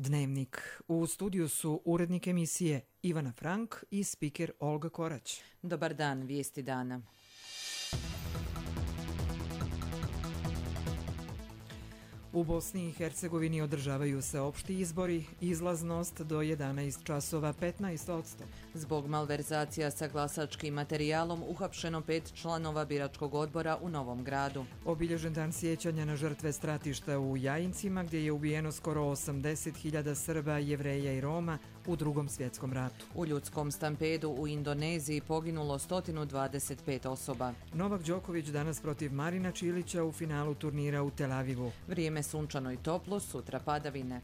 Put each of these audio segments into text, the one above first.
Dnevnik. U studiju su urednik emisije Ivana Frank i spiker Olga Korać. Dobar dan, vijesti dana. U Bosni i Hercegovini održavaju se opšti izbori, izlaznost do 11 časova 15%. Zbog malverzacija sa glasačkim materijalom uhapšeno 5 članova biračkog odbora u Novom Gradu. Obilježen dan sjećanja na žrtve stratišta u Jajincima, gdje je ubijeno skoro 80.000 Srba, Jevreja i Roma u Drugom svjetskom ratu. U ljudskom stampedu u Indoneziji poginulo 125 osoba. Novak Đoković danas protiv Marina Čilića u finalu turnira u Tel Avivu. Vrijeme sunčano i toplo, sutra padavine.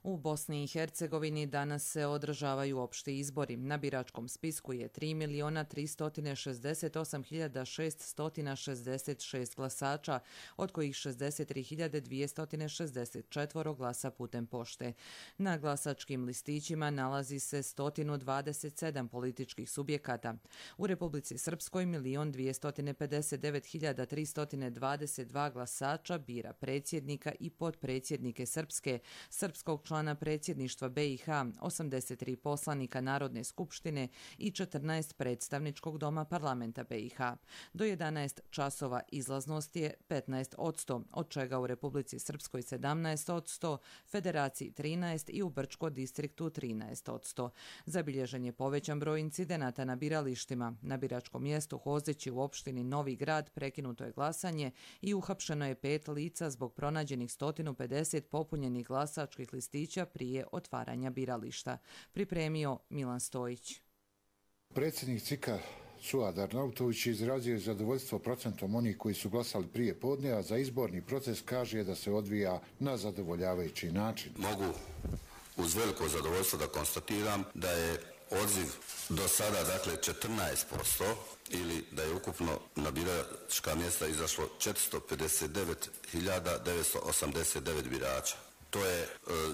U Bosni i Hercegovini danas se održavaju opšti izbori. Na biračkom spisku je 3.368.666 glasača, od kojih 63.264 glasa putem pošte. Na glasačkim listićima nalazi se 127 političkih subjekata. U Republici Srpskoj 1.259.322 glasača bira predsjednika i potpredsjednike Srpskog člana predsjedništva BiH, 83 poslanika Narodne skupštine i 14 predstavničkog doma parlamenta BiH. Do 11 časova izlaznost je 15%, od čega u Republici Srpskoj 17%, Federaciji 13% i u Brčko distriktu 13%. Zabilježen je povećan broj incidenata na biralištima. Na biračkom mjestu Hozići u opštini Novi Grad prekinuto je glasanje i uhapšeno je 5 lica zbog pronađenih 150 popunjenih glasačkih listića prije otvaranja birališta. Pripremio Milan Stojić. Predsjednik CIK-a Suad Arnautović izrazio je zadovoljstvo procentom onih koji su glasali prije podne, a za izborni proces kaže da se odvija na zadovoljavajući način. Mogu uz veliko zadovoljstvo da konstatiram da je odziv do sada, dakle, 14% ili da je ukupno na biračka mjesta izašlo 459.989 birača. To je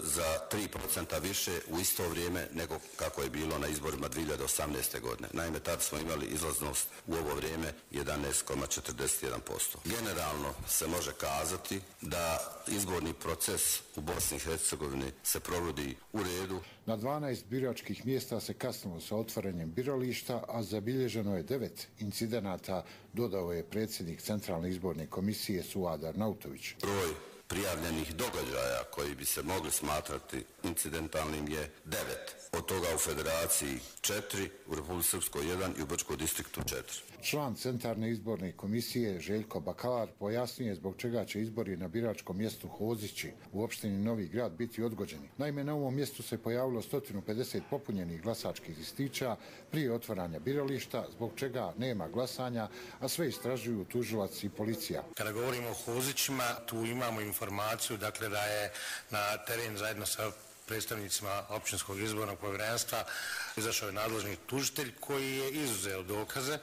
za 3% više u isto vrijeme nego kako je bilo na izborima 2018. godine. Naime, tad smo imali izlaznost u ovo vrijeme 11,41%. Generalno se može kazati da izborni proces u Bosni i Hercegovini se provodi u redu. Na 12 biračkih mjesta se kasnilo sa otvaranjem birališta, a zabilježeno je 9 incidenata, dodao je predsjednik Centralne izborne komisije Suad Arnautović. Broj prijavljenih događaja koji bi se mogli smatrati incidentalnim je 9. Od toga u Federaciji 4, u Republici Srpskoj 1 i u Brčkom distriktu 4. Član Centralne izborne komisije Željko Bakalar pojasnije zbog čega će izbori na biračkom mjestu Hozići u opštini Novi Grad biti odgođeni. Naime, na ovom mjestu se pojavilo 150 popunjenih glasačkih listića prije otvaranja birališta, zbog čega nema glasanja, a sve istražuju tužilac i policija. Kada govorimo o Hozićima, tu imamo informaciju, dakle, da je na teren zajedno sa predstavnicima općinskog izbornog povjerenstva izašao je nadležni tužitelj koji je izuzeo dokaze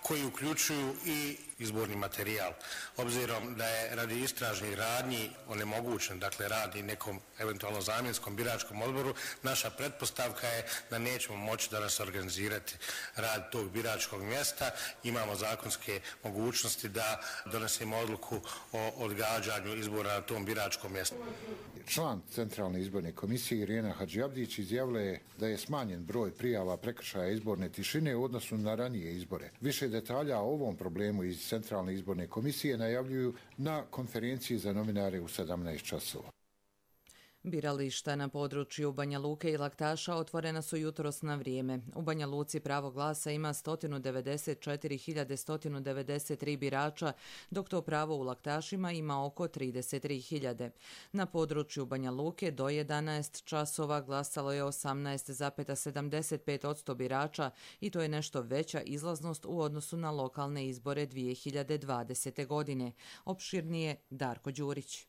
koji uključuju i izborni materijal. Obzirom da je radi istražnih radnji onemogućen, dakle, radi nekom eventualno zamjenskom biračkom odboru, naša pretpostavka je da nećemo moći danas organizirati rad tog biračkog mjesta. Imamo zakonske mogućnosti da donesemo odluku o odgađanju izbora na tom biračkom mjestu. Član Centralne izborne komisije Irena Hadžiabdić izjavila je da je smanjen broj prijava prekršaja izborne tišine u odnosu na ranije izbore. Više detalja o ovom problemu iz Centralne izborne komisije najavljuju na konferenciji za novinare u 17 časova. Birališta na području Banja Luke i Laktaša otvorena su jutros na vrijeme. U Banja Luci pravo glasa ima 194.193 birača, dok to pravo u Laktašima ima oko 33.000. Na području Banja Luke do 11 časova glasalo je 18,75% birača i to je nešto veća izlaznost u odnosu na lokalne izbore 2020. godine. Opširnije Darko Đurić.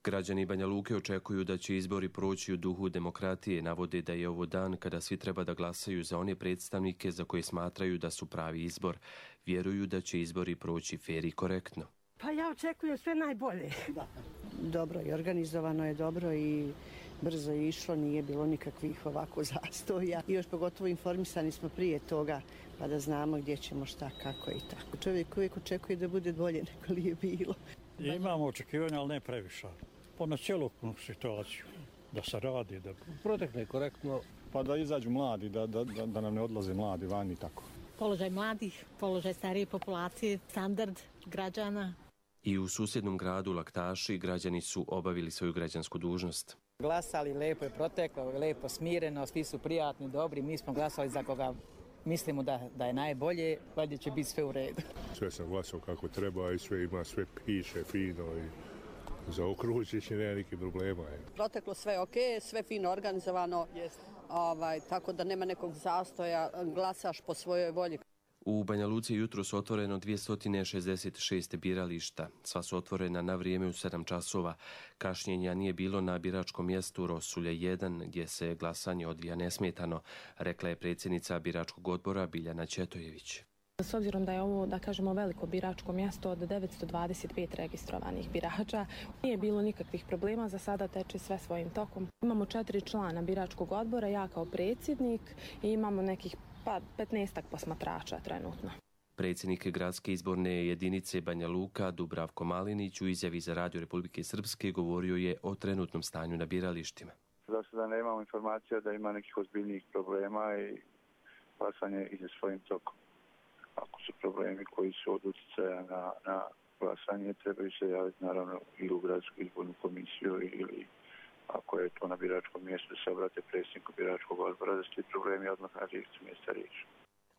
Građani Banja Luke očekuju da će izbori proći u duhu demokratije, navode da je ovo dan kada svi treba da glasaju za one predstavnike za koje smatraju da su pravi izbor. Vjeruju da će izbori proći fer i korektno. Pa ja očekujem sve najbolje. Dobro i organizovano je dobro i brzo išlo, nije bilo nikakvih ovako zastoja. I još pogotovo informisani smo prije toga, pa da znamo gdje ćemo, šta, kako i tako. Čovjek uvijek očekuje da bude bolje nego li je bilo. Imamo očekivanja, ali ne previše. Na cjelokupnu situaciju, da se radi, da protekne korektno. Pa da izađu mladi, da nam ne odlaze mladi van i tako. Položaj mladih, položaj starije populacije, standard građana. I u susjednom gradu Laktaši građani su obavili svoju građansku dužnost. Glasali, lepo je proteklo, lepo smireno, svi su prijatni, dobri, mi smo glasali za koga mislimo da je najbolje, valjda će biti sve u redu. Sve sam glasao kako treba i sve ima, sve piše fino i zaokružiš i nema nikih problema. Proteklo sve ok, sve fino organizovano, tako da nema nekog zastoja, glasaš po svojoj volji. U Banja Luci jutro su otvoreno 266 birališta. Sva su otvorena na vrijeme u 7 časova. Kašnjenja nije bilo na biračkom mjestu Rosulje 1, gdje se glasanje odvija nesmetano, rekla je predsjednica biračkog odbora Biljana Četojević. S obzirom da je ovo, da kažemo, veliko biračko mjesto od 925 registrovanih birača, nije bilo nikakvih problema, za sada teče sve svojim tokom. Imamo 4 člana biračkog odbora, ja kao predsjednik i imamo nekih 15 posmatrača trenutno. Predsjednik gradske izborne jedinice Banja Luka Dubravko Malinić u izjavi za Radio Republike Srpske govorio je o trenutnom stanju na biralištima. Za sada nemamo informacija da ima nekih ozbiljnijih problema i glasanje ide svojim tokom. Ako su problemi koji su od utjecaja na glasanje, trebaju se javiti naravno ili u gradsku izbornu komisiju ili ako je to na biračkom mjestu se obrate predsjedniku biračkog odbora da se ti problemi odmah na licu mjesta riješi.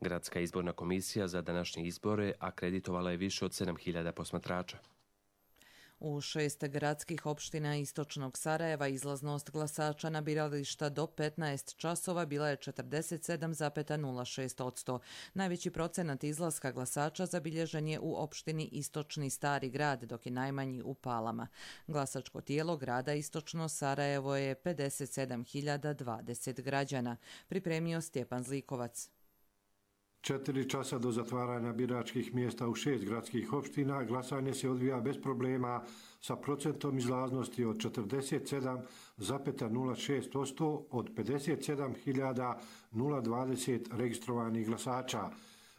Gradska izborna komisija za današnje izbore akreditovala je više od 7.000 posmatrača. U 6 gradskih opština istočnog Sarajeva izlaznost glasača na birališta do 15 časova bila je 47,06%. Najveći procenat izlaska glasača zabilježen je u opštini Istočni Stari grad, dok je najmanji u Palama. Glasačko tijelo grada Istočno Sarajevo je 57.020 građana, pripremio Stjepan Zlikovac. 4 časa do zatvaranja biračkih mjesta u 6 gradskih opština glasanje se odvija bez problema sa procentom izlaznosti od 47,06% od 57.020 registrovanih glasača.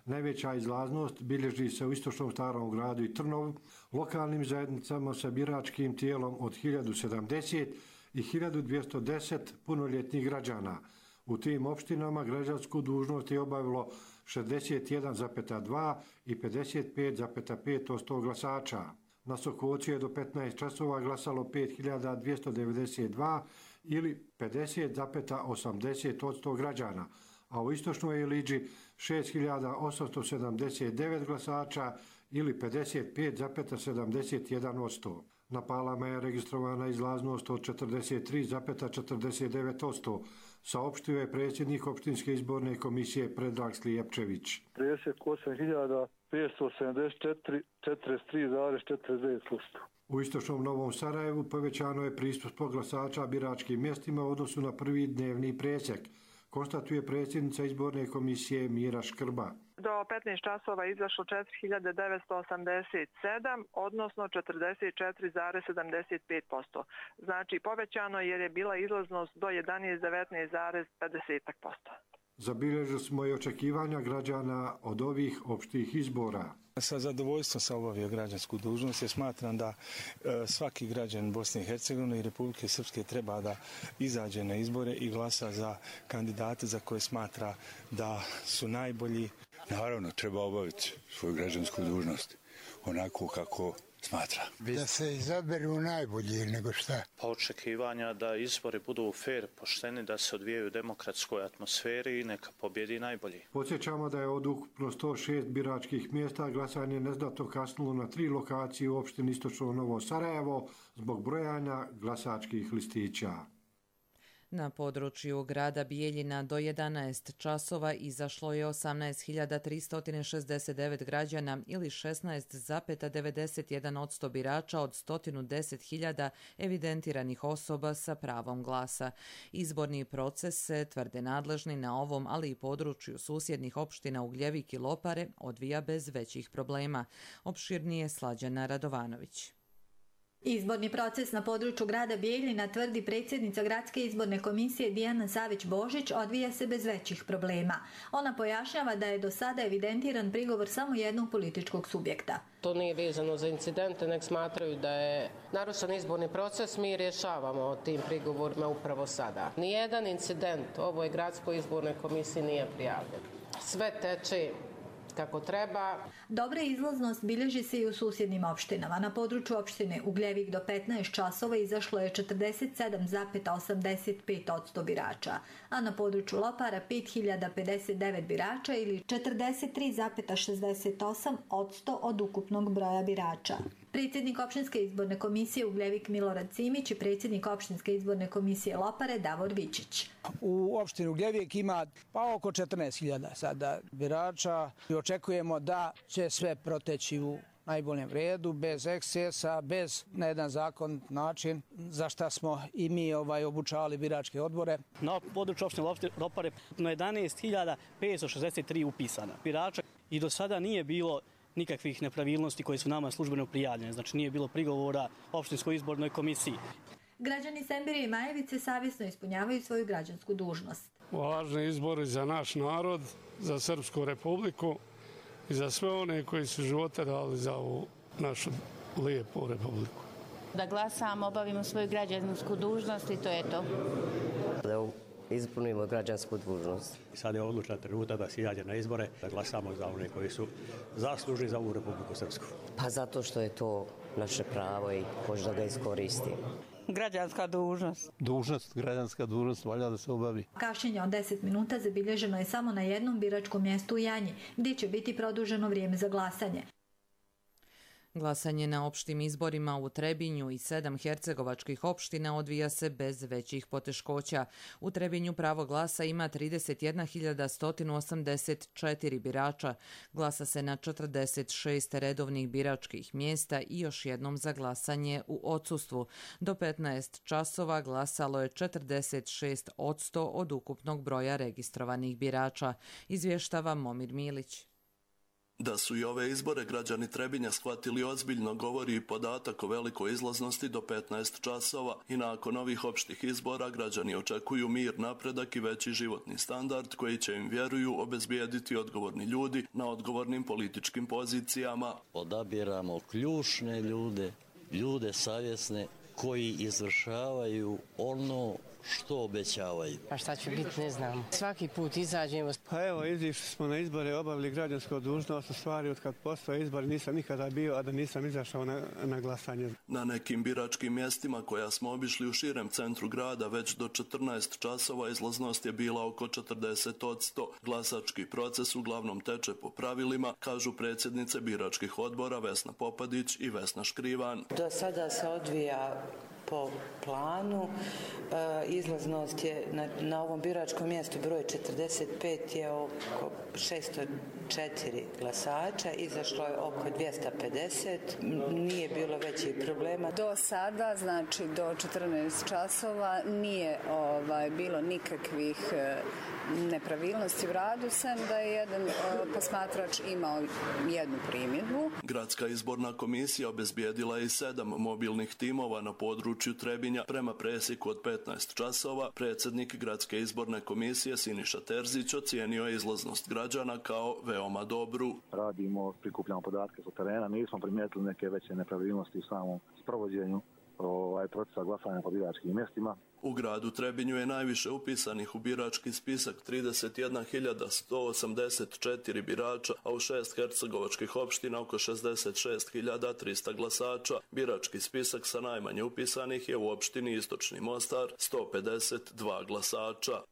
Najveća izlaznost bilježi se u Istočnom Starom gradu i Trnovu, lokalnim zajednicama sa biračkim tijelom od 1070 i 1210 punoljetnih građana. U tim opštinama građansku dužnost je obavilo 61,2 i 55,5% glasača. Na Sokoci je do 15 časova glasalo 5.292 ili 50,80% građana, a u Istočnoj Iliđi 6.879 glasača ili 55,71%. Na Palama je registrovana izlaznost od 43,49%, saopštio je predsjednik opštinske izborne komisije Predrag Slijepčević. 38.574, 43,49%. U Istočnom Novom Sarajevu povećano je pristup glasača biračkim mjestima u odnosu na prvi dnevni presjek, konstatuje predsjednica izborne komisije Mira Škrba. Do 15 časova izašlo 4.987, odnosno 44,75%. Znači povećano jer je bila izlaznost do 11,19,50%. Zabilježili smo i očekivanja građana od ovih opštih izbora. Sa zadovoljstvom sam obavio građansku dužnost jer smatram da svaki građan Bosne i Hercegovine i Republike Srpske treba da izađe na izbore i glasa za kandidate za koje smatra da su najbolji. Naravno, treba obaviti svoju građansku dužnost onako kako smatra. Da se izaberu najbolji nego šta. Pa očekivanja da izbori budu fair, pošteni, da se odvijaju u demokratskoj atmosferi i neka pobjedi najbolji. Podsjećamo da je od ukupno 106 biračkih mjesta glasanje neznatno kasnilo na 3 lokacije u opštini Istočno Novo Sarajevo zbog brojanja glasačkih listića. Na području grada Bijeljina do 11 časova izašlo je 18.369 građana ili 16,91% birača od 110.000 evidentiranih osoba sa pravom glasa. Izborni proces se, tvrde nadležni, na ovom, ali i području susjednih opština Ugljevik i Lopare odvija bez većih problema. Opširnije Slađana Radovanović. Izborni proces na području grada Bijeljina, tvrdi predsjednica Gradske izborne komisije Dijana Savić-Božić, odvija se bez većih problema. Ona pojašnjava da je do sada evidentiran prigovor samo jednog političkog subjekta. To nije vezano za incidente, nek smatraju da je narušen izborni proces, mi rješavamo o tim prigovorima upravo sada. Nijedan incident ovoj Gradskoj izbornoj komisiji nije prijavljen. Sve teče kako treba. Dobra izlaznost bilježi se i u susjednim opštinama. Na području opštine Ugljevik do 15 časova izašlo je 47,85% birača, a na području Lopara 5059 birača ili 43,68% od ukupnog broja birača. Predsjednik opštinske izborne komisije Ugljevik Milorad Simić i predsjednik opštinske izborne komisije Lopare Davor Vičić. U opštini Ugljevik ima oko 14.000 sada birača i očekujemo da će sve proteći u najboljem redu, bez ekscesa, bez na jedan zakon način za šta smo i mi obučavali biračke odbore. Na području opštine Lopare 11.563 upisana birača i do sada nije bilo nikakvih nepravilnosti koje su nama službeno prijavljene, znači nije bilo prigovora opštinskoj izbornoj komisiji. Građani Sembire i Majevice savjesno ispunjavaju svoju građansku dužnost. Važni izbori za naš narod, za Srpsku republiku i za sve one koji su živote dali za ovu našu lijepu republiku. Da glasamo, obavimo svoju građansku dužnost i to je to. Da ispunimo građansku dužnost. Sad je odlučan trenutak da se izađe na izbore, da glasamo za one koji su zaslužni za ovu Republiku Srpsku. Pa zato što je to naše pravo i možda ga iskoristimo. Građanska dužnost. Građanska dužnost, valja da se obavi. Kašnjenje od 10 minuta zabilježeno je samo na jednom biračkom mjestu u Janji, gdje će biti produženo vrijeme za glasanje. Glasanje na opštim izborima u Trebinju i 7 hercegovačkih opština odvija se bez većih poteškoća. U Trebinju pravo glasa ima 31.184 birača. Glasa se na 46 redovnih biračkih mjesta i još jednom za glasanje u odsustvu. Do 15 časova glasalo je 46% od ukupnog broja registrovanih birača, izvještava Momir Milić. Da su i ove izbore građani Trebinja shvatili ozbiljno govori i podatak o velikoj izlaznosti do 15 časova i nakon ovih opštih izbora građani očekuju mir, napredak i veći životni standard koji će im, vjeruju, obezbijediti odgovorni ljudi na odgovornim političkim pozicijama. Odabiramo ključne ljude savjesne koji izvršavaju ono što obećavaju. Pa šta će biti, ne znam. Svaki put izađemo. Pa evo, izišli smo na izbore, obavili građansku dužnost, u stvari od kad postoje izbori nisam nikada bio, a da nisam izašao na glasanje. Na nekim biračkim mjestima koja smo obišli u širem centru grada već do 14 časova izlaznost je bila oko 40%. Glasački proces uglavnom teče po pravilima, kažu predsjednice biračkih odbora Vesna Popadić i Vesna Škrivan. Do sada se odvija po planu. Izlaznost je na ovom biračkom mjestu broj 45 je oko 604 glasača, izašlo je oko 250, nije bilo većih problema. Do sada, znači do 14 časova nije bilo nikakvih nepravilnosti u radu, sem da je jedan posmatrač imao jednu primjedbu. Gradska izborna komisija obezbijedila je 7 mobilnih timova na području Trebinja prema presjeku od 15 časova. Predsjednik Gradske izborne komisije Siniša Terzić ocijenio je izlaznost građana kao veoma dobru. Radimo, prikupljamo podatke sa terena, nismo primijetili neke veće nepravilnosti u samom sprovođenju procesa glasanja po biračkim mjestima. U gradu Trebinju je najviše upisanih u birački spisak 31.184 birača, a u 6 hercegovačkih opština oko 66.300 glasača. Birački spisak sa najmanje upisanih je u opštini Istočni Mostar, 152 glasača.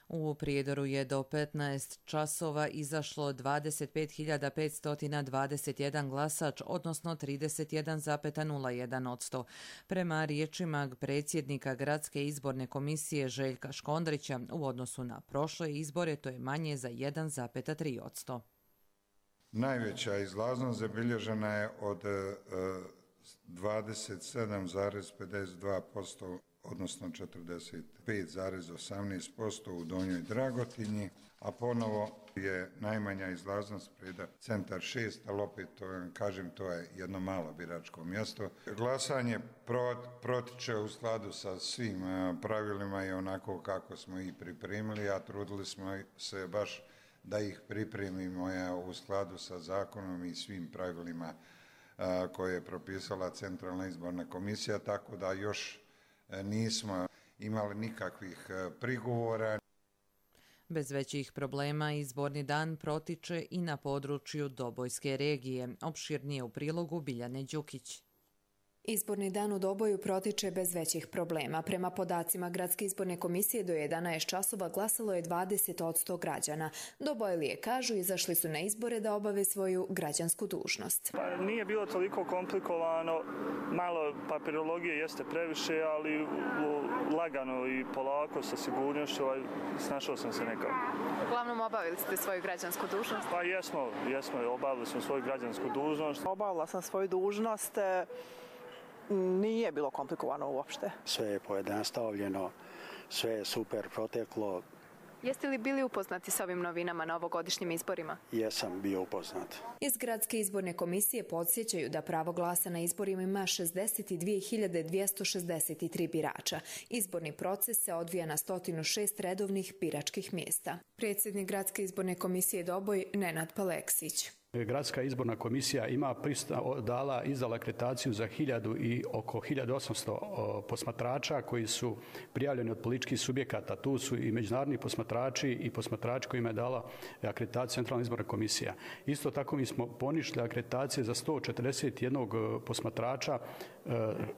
U Prijedoru je do 15 časova izašlo 25.521 glasač, odnosno 31,01%. Prema riječima predsjednika Gradske izborne komisije Željka Škondrića, u odnosu na prošle izbore to je manje za 1,3%. Najveća izlaznost zabilježena je od 27,52%, odnosno 45,18% u Donjoj Dragotinji, a ponovo je najmanja izlaznost Preda centar 6, ali opet kažem to je jedno malo biračko mjesto. Glasanje protiče u skladu sa svim pravilima i onako kako smo ih pripremili, a trudili smo se baš da ih pripremimo u skladu sa zakonom i svim pravilima koje je propisala Centralna izborna komisija, tako da još nismo imali nikakvih prigovora. Bez većih problema izborni dan protiče i na području Dobojske regije. Opširnije u prilogu Biljane Đukić. Izborni dan u Doboju protiče bez većih problema. Prema podacima Gradske izborne komisije do 11 časova glasalo je 20% građana. Dobojlije kažu izašli su na izbore da obave svoju građansku dužnost. Nije bilo toliko komplikovano, malo papirologije jeste previše, ali lagano i polako sa sigurnošću snašao sam se nekako. Uglavnom obavili ste svoju građansku dužnost? Pa jesmo, obavili smo svoju građansku dužnost. Obavila sam svoju dužnost. Nije bilo komplikovano uopšte. Sve je pojednostavljeno, sve je super proteklo. Jeste li bili upoznati s ovim novinama na ovogodišnjim izborima? Jesam bio upoznat. Iz Gradske izborne komisije podsjećaju da pravo glasa na izborima ima 62.263 birača. Izborni proces se odvija na 106 redovnih biračkih mjesta. Predsjednik Gradske izborne komisije Doboj Nenad Paleksić. Gradska izborna komisija izdala akreditaciju za 1000 i oko 1800 posmatrača koji su prijavljeni od političkih subjekata. Tu su i međunarodni posmatrači i posmatrači kojima je dala akreditaciju Centralna izborna komisija. Isto tako mi smo poništili akreditacije za 141 posmatrača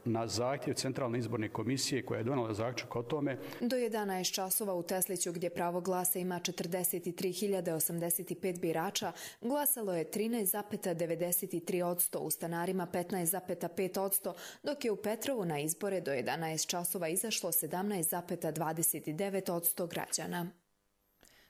na zahtjev Centralne izborne komisije koja je donala zaključak o tome. Do 11 časova u Tesliću, gdje pravo glasa ima 43.085 birača, glasalo je 13,93%, u Stanarima 15,5%, dok je u Petrovu na izbore do 11 časova izašlo 17,29% građana.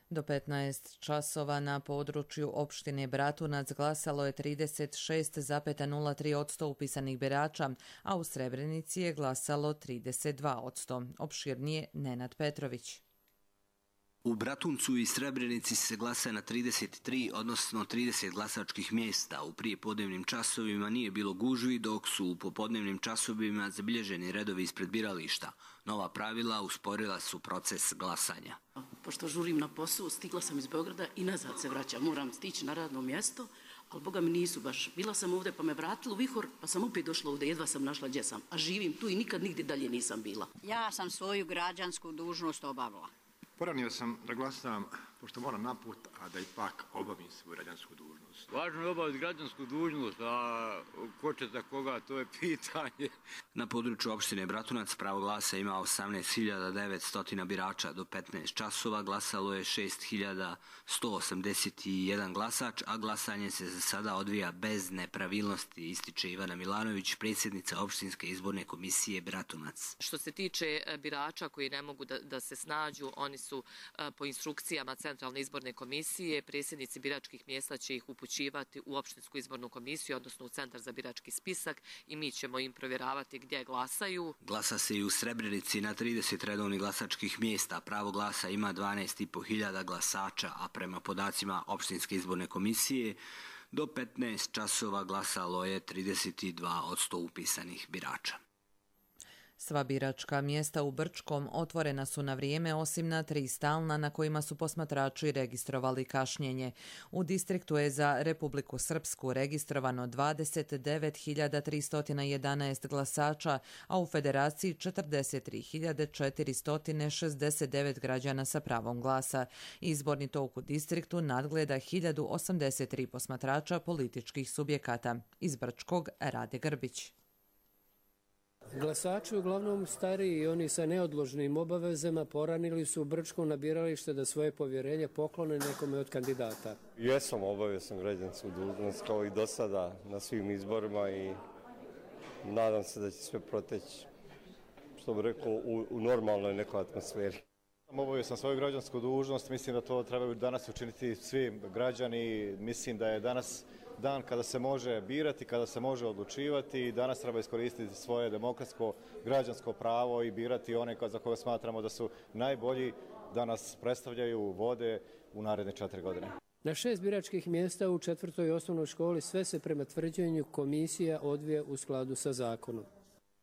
Do 15 časova na području opštine Bratunac glasalo je 36,03% upisanih birača, a u Srebrenici je glasalo 32%. Opširnije Nenad Petrović. U Bratuncu i Srebrenici se glasa na 33, odnosno 30 glasačkih mjesta. U prijepodnevnim časovima nije bilo gužvi, dok su u popodnevnim časovima zabilježeni redovi ispred birališta. Nova pravila usporila su proces glasanja. Pošto žurim na posao, stigla sam iz Beograda i nazad se vraćam. Moram stići na radno mjesto, ali boga mi nisu baš. Bila sam ovdje pa me vratilo u vihor, pa sam opet došla ovdje, jedva sam našla gdje sam. A živim tu i nikad nigdje dalje nisam bila. Ja sam svoju građansku dužnost obavila. Poranio sam da glasam, pošto moram na put, a da ipak obavim svoju građansku dužnost. Važno je obaviti građansku dužnost, a ko će za koga, to je pitanje. Na području opštine Bratunac pravo glasa ima 18.900 birača. Do 15 časova glasalo je 6.181 glasač, a glasanje se za sada odvija bez nepravilnosti, ističe Ivana Milanović, predsjednica opštinske izborne komisije Bratunac. Što se tiče birača koji ne mogu da se snađu, oni su po instrukcijama Centralne izborne komisije, predsjednici biračkih mjesta će ih upućivati u opštinsku izbornu komisiju, odnosno u Centar za birački spisak, i mi ćemo im provjeravati gdje glasaju. Glasa se i u Srebrenici na 30 redovnih glasačkih mjesta. Pravo glasa ima 12.500 glasača, a prema podacima opštinske izborne komisije do 15 časova glasalo je 32% upisanih birača. Sva biračka mjesta u Brčkom otvorena su na vrijeme, osim na 3 stalna na kojima su posmatrači registrovali kašnjenje. U distriktu je za Republiku Srpsku registrovano 29.311 glasača, a u Federaciji 43.469 građana sa pravom glasa. Izborni tok u distriktu nadgleda 1083 posmatrača političkih subjekata. Iz Brčkog Rade Grbić. Glasači, uglavnom stariji i oni sa neodložnim obavezama, poranili su u Brčkom na biralište da svoje povjerenje poklone nekome od kandidata. Jesam, obavio sam građansku dužnost kao i do sada na svim izborima i nadam se da će sve proteći, što bih rekao, u normalnoj nekoj atmosferi. Obavio sam svoju građansku dužnost, mislim da to trebaju danas učiniti svi građani. Mislim da je danas dan kada se može birati, kada se može odlučivati i danas treba iskoristiti svoje demokratsko građansko pravo i birati one za koje smatramo da su najbolji da nas predstavljaju, vode u naredne 4 godine. Na 6 biračkih mjesta u 4. osnovnoj školi sve se prema tvrđenju komisija odvija u skladu sa zakonom.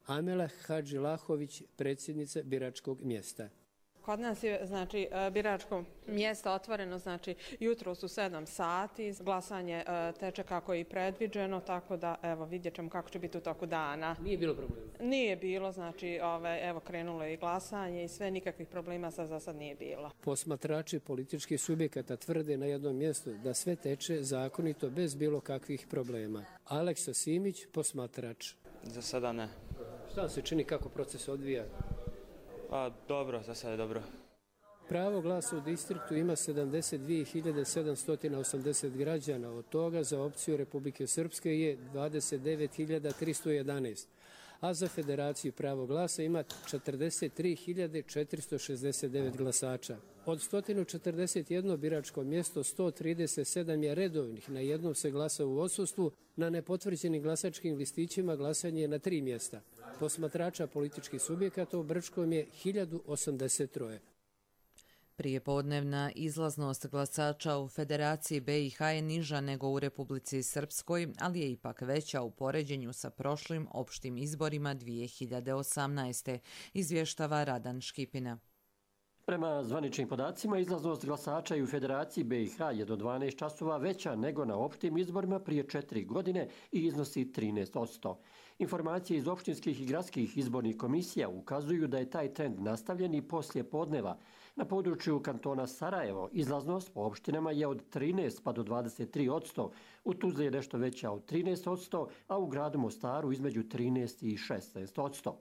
Amela Hadžilahović, predsjednica biračkog mjesta. Kod nas je biračko mjesto otvoreno, jutros u 7 sati, glasanje teče kako je i predviđeno, tako da vidjet ćemo kako će biti u toku dana. Nije bilo problema? Nije bilo, krenulo je i glasanje i sve, nikakvih problema za sad nije bilo. Posmatrači političkih subjekata tvrde na jednom mjestu da sve teče zakonito bez bilo kakvih problema. Aleksa Simić, posmatrač. Za sada ne. Šta se čini, kako proces odvija? Dobro, za sada je dobro. Pravo glasa u distriktu ima 72.780 građana, od toga za opciju Republike Srpske je 29.311, a za Federaciju pravo glasa ima 43.469 glasača. Od 141 biračko mjesto 137 je redovnih, na jednom se glasa u odsustvu, na nepotvrđenim glasačkim listićima glasanje je na 3 mjesta. Posmatrača političkih subjekata u Brčkom je 1083. Prijepodnevna izlaznost glasača u Federaciji BiH je niža nego u Republici Srpskoj, ali je ipak veća u poređenju sa prošlim opštim izborima 2018. izvještava Radan Škipina. Prema zvaničnim podacima, izlaznost glasača i u Federaciji BiH je do 12 časova veća nego na opštim izborima prije 4 godine i iznosi 13%. Informacije iz opštinskih i gradskih izbornih komisija ukazuju da je taj trend nastavljen i poslije podneva. Na području kantona Sarajevo izlaznost po opštinama je od 13 pa do 23%, u Tuzli je nešto veća od 13%, a u gradu Mostaru između 13 i 16%.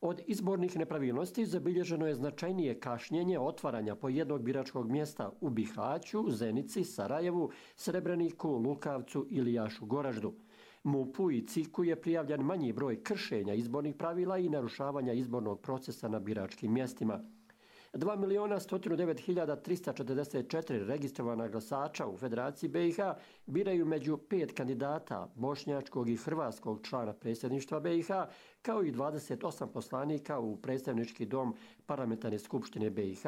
Od izbornih nepravilnosti zabilježeno je značajnije kašnjenje otvaranja po jednog biračkog mjesta u Bihaću, Zenici, Sarajevu, Srebreniku, Lukavcu ili Jašu Goraždu. MUP-u i CIK-u je prijavljen manji broj kršenja izbornih pravila i narušavanja izbornog procesa na biračkim mjestima. 2.109.344 registrovana glasača u Federaciji BiH biraju među 5 kandidata bošnjačkog i hrvatskog člana predsjedništva BiH, kao i 28 poslanika u predstavnički dom Parlamentarne skupštine BiH.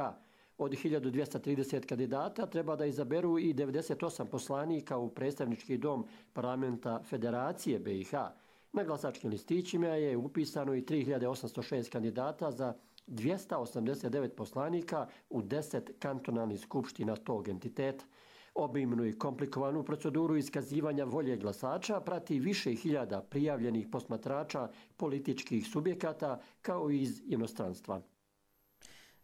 Od 1230 kandidata treba da izaberu i 98 poslanika u predstavnički dom Parlamenta Federacije BiH. Na glasačkim listićima je upisano i 3806 kandidata za 289 poslanika u 10 kantonalnih skupština tog entiteta. Obimnu i komplikovanu proceduru iskazivanja volje glasača prati više hiljada prijavljenih posmatrača političkih subjekata kao i iz inostranstva.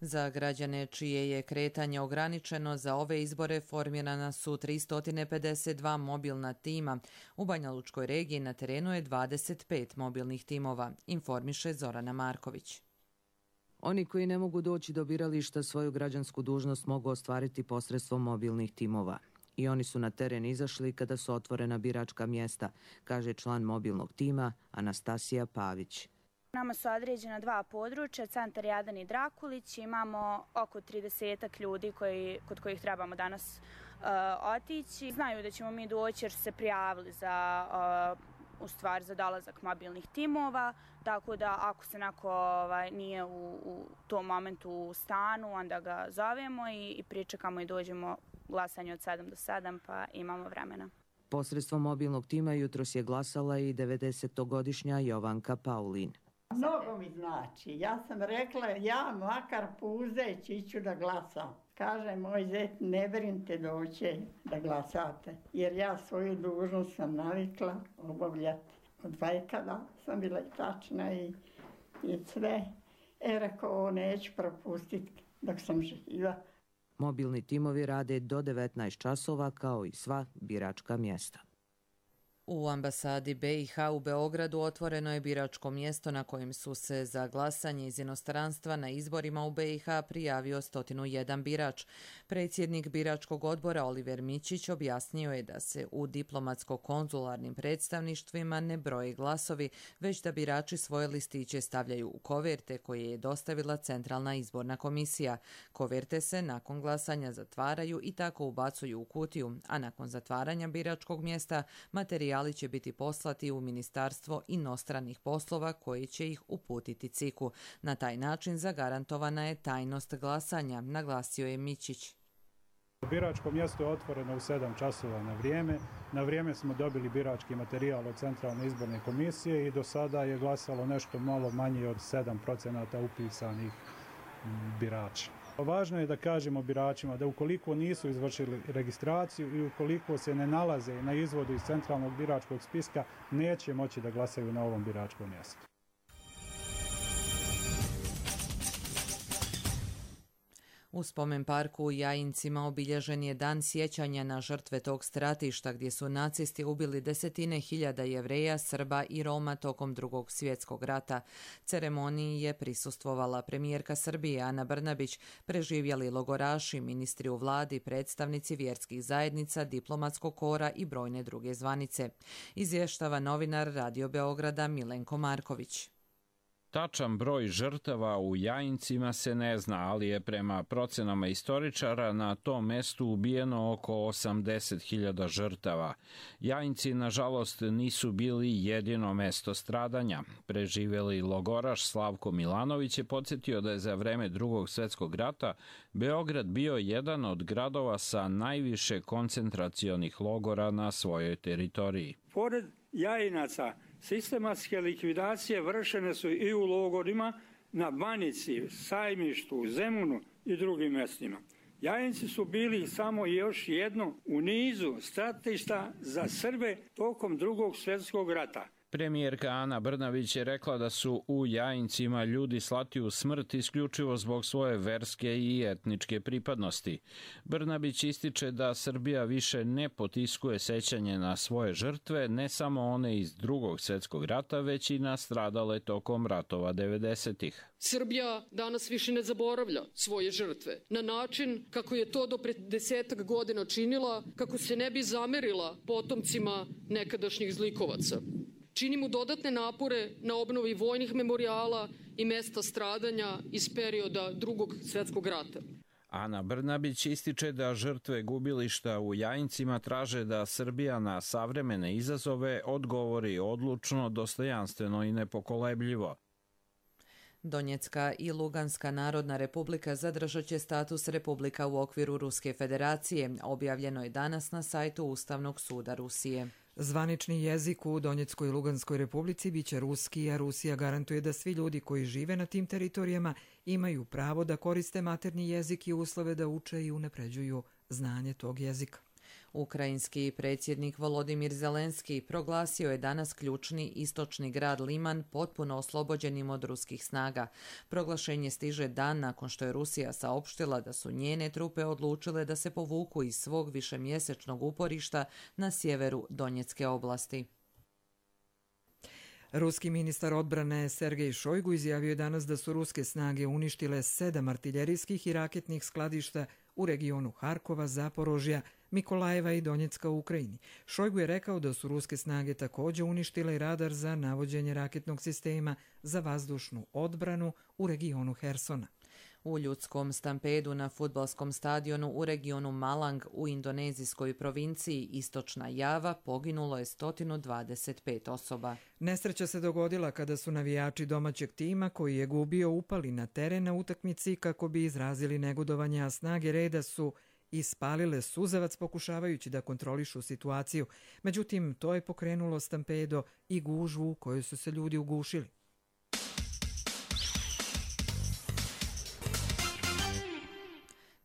Za građane čije je kretanje ograničeno za ove izbore formirana su 352 mobilna tima. U Banja Lučkoj regiji na terenu je 25 mobilnih timova, informiše Zorana Marković. Oni koji ne mogu doći do birališta svoju građansku dužnost mogu ostvariti posredstvom mobilnih timova. I oni su na teren izašli kada su otvorena biračka mjesta, kaže član mobilnog tima Anastasija Pavić. Nama su određena 2 područja, centar Jadan i Drakulić. Imamo oko 30 ljudi kod kojih trebamo danas otići. Znaju da ćemo mi doći jer su se prijavili za dolazak mobilnih timova, tako da ako se neko nije u tom momentu u stanu, onda ga zovemo i pričekamo i dođemo glasanje od 7 do 7, pa imamo vremena. Posredstvom mobilnog tima jutros je glasala i 90-godišnja Jovanka Paulin. Mnogo mi znači. Ja sam rekla, ja makar puzeći iću da glasam. Kaže moj zet, ne brinite doće da glasate, jer ja svoju dužnost sam navikla obavljati. Od vajkada sam bila tačna i sve. Rekao, neću propustiti dok sam živa. Mobilni timovi rade do 19 časova kao i sva biračka mjesta. U ambasadi BiH u Beogradu otvoreno je biračko mjesto na kojem su se za glasanje iz inostranstva na izborima u BiH prijavio 101 birač. Predsjednik biračkog odbora Oliver Mićić objasnio je da se u diplomatsko-konzularnim predstavništvima ne broje glasovi, već da birači svoje listiće stavljaju u koverte koje je dostavila Centralna izborna komisija. Koverte se nakon glasanja zatvaraju i tako ubacuju u kutiju, a nakon zatvaranja biračkog mjesta materijali će biti poslati u Ministarstvo inostranih poslova koji će ih uputiti CIK-u. Na taj način zagarantovana je tajnost glasanja, naglasio je Mićić. Biračko mjesto je otvoreno u 7 časova na vrijeme. Na vrijeme smo dobili birački materijal od Centralne izborne komisije i do sada je glasalo nešto malo manje od 7% upisanih birača. Važno je da kažemo biračima da ukoliko nisu izvršili registraciju i ukoliko se ne nalaze na izvodu iz centralnog biračkog spiska, neće moći da glasaju na ovom biračkom mjestu. U spomen parku u Jajincima obilježen je dan sjećanja na žrtve tog stratišta gdje su nacisti ubili desetine hiljada Jevreja, Srba i Roma tokom Drugog svjetskog rata. Ceremoniji je prisustvovala premijerka Srbije Ana Brnabić, preživjeli logoraši, ministri u vladi, predstavnici vjerskih zajednica, diplomatskog kora i brojne druge zvanice. Izvještava novinar Radio Beograda Milenko Marković. Tačan broj žrtava u Jajincima se ne zna, ali je prema procenama istoričara na tom mestu ubijeno oko 80.000 žrtava. Jajinci, nažalost, nisu bili jedino mesto stradanja. Preživjeli logoraš Slavko Milanović je podsjetio da je za vreme Drugog svjetskog rata Beograd bio jedan od gradova sa najviše koncentracionih logora na svojoj teritoriji. Pored Jajinaca, sistematske likvidacije vršene su i u logorima na Banici, Sajmištu, Zemunu i drugim mjestima. Jajinci su bili samo još jedno u nizu stratišta za Srbe tokom Drugog svjetskog rata. Premijerka Ana Brnabić je rekla da su u Jajincima ljudi slati u smrt isključivo zbog svoje verske i etničke pripadnosti. Brnabić ističe da Srbija više ne potiskuje sećanje na svoje žrtve, ne samo one iz Drugog svjetskog rata, već i na stradale tokom ratova 90-ih. Srbija danas više ne zaboravlja svoje žrtve na način kako je to do pre 10 godina činila, kako se ne bi zamerila potomcima nekadašnjih zlikovaca. Činimo dodatne napore na obnovi vojnih memorijala i mesta stradanja iz perioda Drugog svjetskog rata. Ana Brnabić ističe da žrtve gubilišta u Jajincima traže da Srbija na savremene izazove odgovori odlučno, dostojanstveno i nepokolebljivo. Donjecka i Luganska narodna republika zadržat će status republika u okviru Ruske federacije. Objavljeno je danas na sajtu Ustavnog suda Rusije. Zvanični jezik u Donjeckoj i Luganskoj republici biće ruski, a Rusija garantuje da svi ljudi koji žive na tim teritorijama imaju pravo da koriste maternji jezik i uslove da uče i unapređuju znanje tog jezika. Ukrajinski predsjednik Volodimir Zelenski proglasio je danas ključni istočni grad Liman potpuno oslobođenim od ruskih snaga. Proglašenje stiže dan nakon što je Rusija saopštila da su njene trupe odlučile da se povuku iz svog višemjesečnog uporišta na sjeveru Donjecke oblasti. Ruski ministar odbrane Sergej Šojgu izjavio je danas da su ruske snage uništile 7 artiljerijskih i raketnih skladišta u regionu Harkova, Zaporožja, Mikolajeva i Donjecka u Ukrajini. Šojgu je rekao da su ruske snage također uništile radar za navođenje raketnog sistema za vazdušnu odbranu u regionu Hersona. U ljudskom stampedu na fudbalskom stadionu u regionu Malang u indonezijskoj provinciji Istočna Java poginulo je 125 osoba. Nesreća se dogodila kada su navijači domaćeg tima koji je gubio upali na teren na utakmici kako bi izrazili negodovanje, a snage reda su ispalile suzavac pokušavajući da kontrolišu situaciju. Međutim, to je pokrenulo stampedo i gužvu u kojoj su se ljudi ugušili.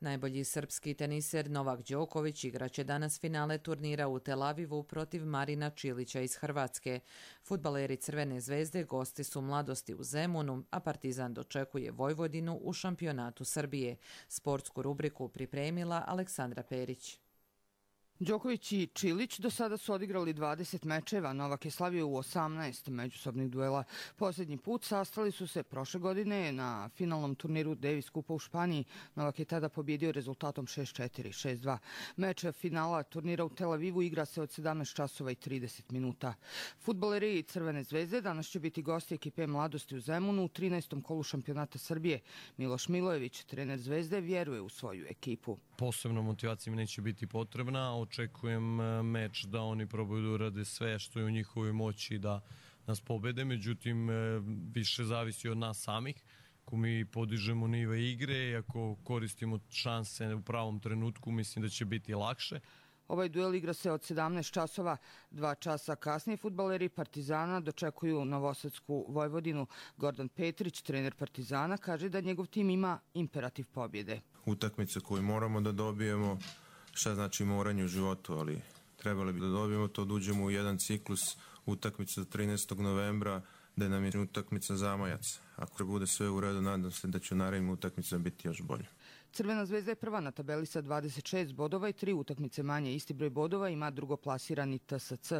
Najbolji srpski teniser Novak Đoković igraće danas finale turnira u Tel Avivu protiv Marina Čilića iz Hrvatske. Fudbaleri Crvene zvezde gosti su Mladosti u Zemunu, a Partizan dočekuje Vojvodinu u šampionatu Srbije. Sportsku rubriku pripremila Aleksandra Perić. Đoković i Čilić do sada su odigrali 20 mečeva, Novak je slavio u 18 međusobnih duela. Posljednji put sastali su se prošle godine na finalnom turniru Davis Kupa u Španiji. Novak je tada pobjedio rezultatom 6-4, 6-2. Meč finala turnira u Tel Avivu igra se od 17 časova i 30 minuta. Fudbaleri Crvene zvezde danas će biti gosti ekipe Mladosti u Zemunu u 13. kolu šampionata Srbije. Miloš Milojević, trener Zvezde, vjeruje u svoju ekipu. Posebno motivacija mi neće biti potrebna. Očekujem meč da oni probaju da urade sve što je u njihovoj moći da nas pobede. Međutim, više zavisi od nas samih. Ako mi podižemo nive igre i ako koristimo šanse u pravom trenutku, mislim da će biti lakše. Ovaj duel igra se od 17 časova. 2 časa kasnije fudbaleri Partizana dočekuju Novosadsku Vojvodinu. Gordan Petrić, trener Partizana, kaže da njegov tim ima imperativ pobjede. Utakmice koju moramo da dobijemo, šta znači moranje u životu, ali trebali bi da dobijemo to, da uđemo u jedan ciklus utakmica 13. novembra, da nam je utakmica zamajac. Ako bude sve u redu, nadam se da će u narednim utakmicama biti još bolje. Crvena zvezda je prva na tabeli sa 26 bodova i 3 utakmice manje. Isti broj bodova ima drugoplasirani TSC.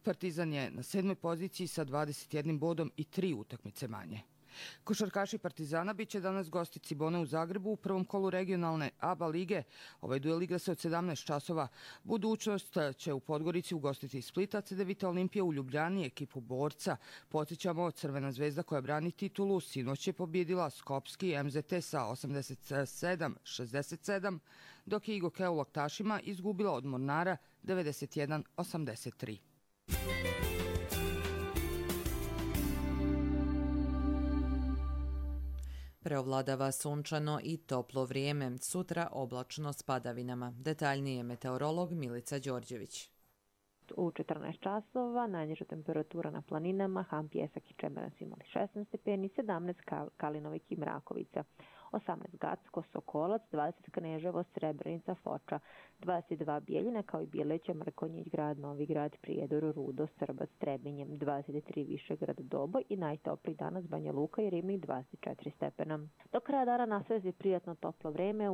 Partizan je na 7. poziciji sa 21 bodom i 3 utakmice manje. Košarkaši Partizana bit će danas gosti Cibone u Zagrebu u prvom kolu regionalne ABA lige. Ovaj duel igra se od 17 časova. Budućnost će u Podgorici ugostiti Splita, CDVita Olimpija u Ljubljani ekipu Borca. Podsjećamo, Crvena zvezda koja brani titulu sinoć je pobjedila Skopski MZT sa 87-67, dok je Igokea u Loktašima izgubila od Mornara 91-83. Preovladava sunčano i toplo vrijeme, sutra oblačno s padavinama. Detaljnije meteorolog Milica Đorđević. U 14 časova najniža temperatura na planinama, Ham, Pjesak i Čemeran su imali 16 stepeni, 17 Kalinovik i Mrakovica, 18 Gacko, Sokolac, 20 Kneževo, Srebrenica, Foča, 22 Bijeljina kao i Bijeleća, Mrkonjić grad, Novi grad, Prijedor, Rudo, Srbac, Trebinjem, 23 Višegrad, Doboj i najtopliji danas Banja Luka i Ribnik 24 stepena. Do kraja dana nastaje prijatno toplo vreme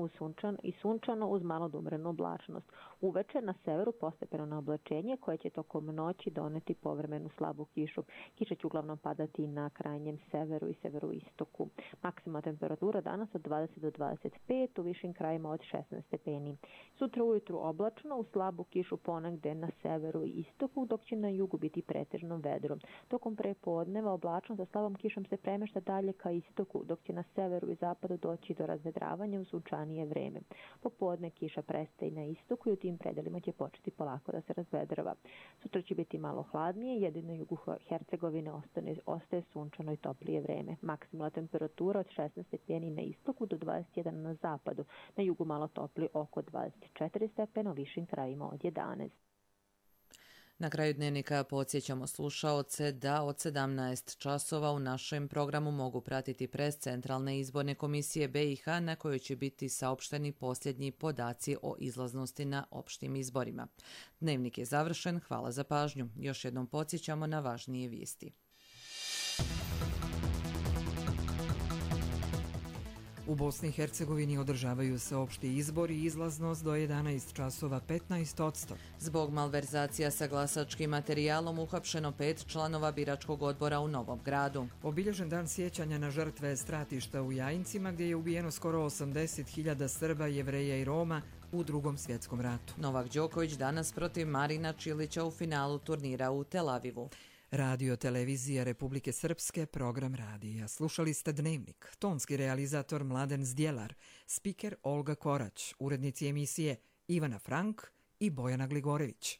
sunčano uz malo umjerenu oblačnost. Uveče na severu postepeno na oblačenje koje će tokom noći doneti povremenu slabu kišu. Kiša će uglavnom padati na krajnjem severu i severoistoku. Maksimalna temperatura danas od 20 do 25, u višim krajima od 16 stepeni. Sutra ujutru oblačno, u slabu kišu ponegde na severu i istoku, dok će na jugu biti pretežno vedro. Tokom prepodneva oblačno sa slabom kišom se premešta dalje ka istoku, dok će na severu i zapadu doći do razvedravanja u sunčanije vreme. Popodne kiša prestaje na istoku i u tim predelima će početi polako da se razvedrava. Sutra će biti malo hladnije, jedino na jugu Hercegovine ostaje sunčano i toplije vreme. Maksimalna temperatura od 16 stepeni na istoku do 21 na zapadu, na jugu malo topli oko 24 stepena, u višim krajima od 11. Na kraju dnevnika podsjećamo slušaoce da od 17 časova u našem programu mogu pratiti pres Centralne izborne komisije BiH na kojoj će biti saopšteni posljednji podaci o izlaznosti na opštim izborima. Dnevnik je završen, hvala za pažnju. Još jednom podsjećamo na važnije vijesti. U Bosni i Hercegovini održavaju se opšti izbori i izlaznost do 11 časova 15%. Zbog malverzacija sa glasačkim materijalom uhapšeno 5 članova biračkog odbora u Novom Gradu. Obilježen dan sjećanja na žrtve stratišta u Jajincima gdje je ubijeno skoro 80.000 Srba, Jevreja i Roma u Drugom svjetskom ratu. Novak Đoković danas protiv Marina Čilića u finalu turnira u Tel Avivu. Radio Televizija Republike Srpske, program radija. Slušali ste Dnevnik. Tonski realizator Mladen Zdjelar, spiker Olga Korać, urednici emisije Ivana Frank i Bojana Gligorević.